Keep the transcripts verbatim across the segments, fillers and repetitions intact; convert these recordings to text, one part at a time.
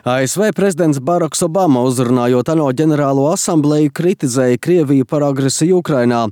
A S V prezidents Baraks Obama, uzrunājot ANO ģenerālo asambleju, kritizēja Krieviju par agresiju Ukrainā.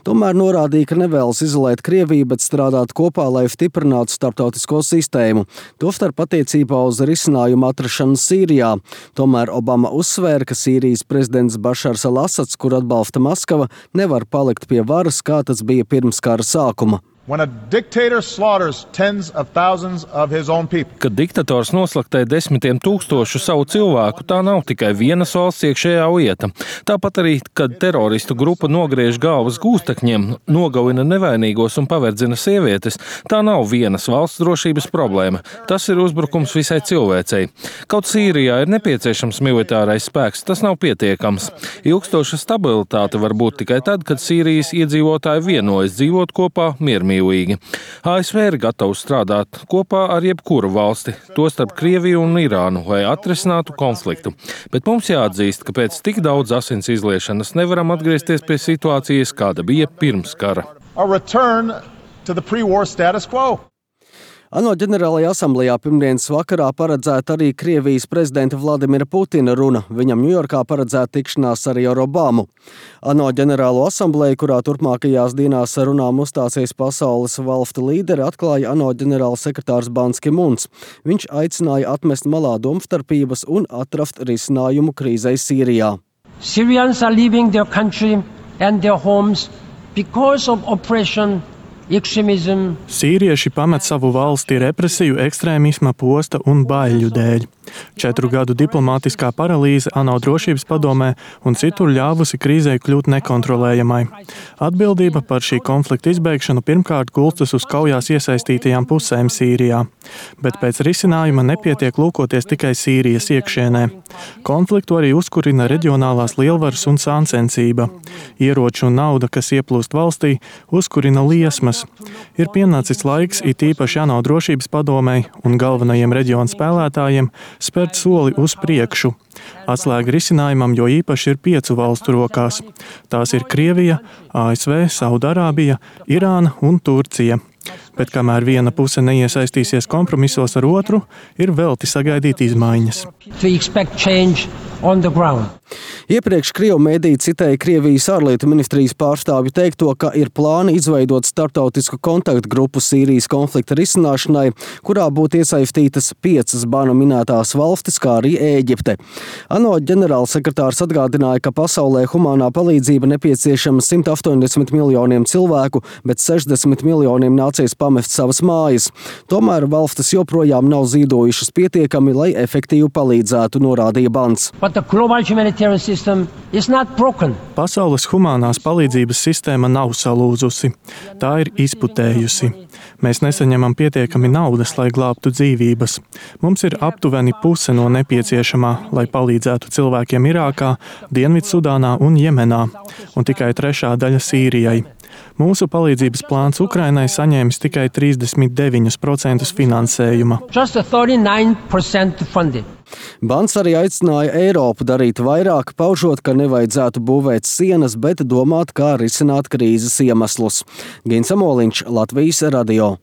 Tomēr norādīja, ka nevēlas izolēt Krieviju, bet strādāt kopā, lai stiprinātu starptautisko sistēmu. Tostarp attiecībā uz risinājumu atrašanu Sīrijā. Tomēr Obama uzsvēra, ka Sīrijas prezidents Bašars al-Asads, kur atbalsta Maskava, nevar palikt pie varas, kā tas bija pirms kara sākuma. When a dictator slaughters tens of thousands of his own people. Kad diktators noslaktē desmitiem tūkstošu savu cilvēku, tā nav tikai vienas valsts iekšējā lieta. Tāpat arī, kad teroristu grupa nogriež galvas gūstekņiem, nogalina nevainīgos un paverdzina sievietes, tā nav vienas valsts drošības problēma. Tas ir uzbrukums visai cilvēcei. Kaut Sīrijā ir nepieciešams militārais spēks, tas nav pietiekams. Ilgstoša stabilitāte var būt tikai tad, kad Sīrijas iedzīvotāji vienojas dzīvot kopā miermīlīgi. A S V ir gatavs strādāt kopā ar jebkuru valsti, tostarp Krieviju un Irānu, lai atrisinātu konfliktu. Bet mums jāatzīst, ka pēc tik daudz asins izliešanas nevaram atgriezties pie situācijas, kāda bija pirms kara. A return to the pre-war status quo. ANO ģenerālajā asamblejā pirmdienas vakarā paredzēta arī Krievijas prezidenta Vladimira Putina runa. Viņam Ņujorkā paredzēta tikšanās arī ar Obamu. ANO ģenerālo asambleju, kurā turpmākajās dienās runām uzstāsies pasaules valstu līderi, atklāja ANO ģenerāls sekretārs Bans Ki-muns. Viņš aicināja atmest malā domstarpības un atrast risinājumu krīzei Sīrijā. Syrians are leaving their country and their homes because of oppression. Sīrieši pamet savu valsti represiju, ekstrēmisma, posta un baiļu dēļ. Četru gadu diplomātiskā paralīze ANO drošības padomē un citur ļāvusi krīzei kļūt nekontrolējamai. Atbildība par šī konflikta izbeigšanu pirmkārt gulstas uz kaujās iesaistītajām pusēm Sīrijā. Bet pēc risinājuma nepietiek lūkoties tikai Sīrijas iekšienē. Konfliktu arī uzkurina reģionālās lielvaras un sāncensība. Ieroču un nauda, kas ieplūst valstī, uzkurina liesmas. Ir pienācis laiks it īpaši ANO drošības padomei un galvenajiem reģionu spēlētājiem spērt soli uz priekšu. Atslēga risinājumam jo īpaši ir piecu valstu rokās. Tās ir Krievija, A S V, Saudarābija, Irāna un Turcija. Bet kamēr viena puse neiesaistīsies kompromisos ar otru, ir velti sagaidīt izmaiņas. Iepriekš Krievu mēdī citēja Krievijas ārlietu ministrijas pārstāvju teikto, ka ir plāni izveidot starptautisku kontaktgrupu Sīrijas konflikta risināšanai, kurā būtu iesaistītas piecas banu minētās valstis, kā arī Ēģipte. ANO ģenerālsekretārs atgādināja, ka pasaulē humānā palīdzība nepieciešama simt astoņdesmit miljoniem cilvēku, bet sešdesmit miljoniem nācies pamest savas mājas. Tomēr valstis joprojām nav zīdojušas pietiekami, lai efektīvi palīdzētu, norādīja Bans. Pasaules humānās palīdzības sistēma nav salūzusi. Tā ir izputējusi. Mēs nesaņemam pietiekami naudas, lai glābtu dzīvības. Mums ir aptuveni puse no nepieciešamā, lai palīdzētu cilvēkiem Irākā, Dienvidsudānā un Jemenā, un tikai trešā daļa Sīrijai. Mūsu palīdzības plāns Ukrainai saņēmis tikai trīsdesmit deviņus procentus finansējuma. Bans arī aicināja Eiropu darīt vairāk, paužot, ka nevajadzētu būvēt sienas, bet domāt, kā risināt krīzes iemeslus. Gins Amoliņš, Latvijas radio.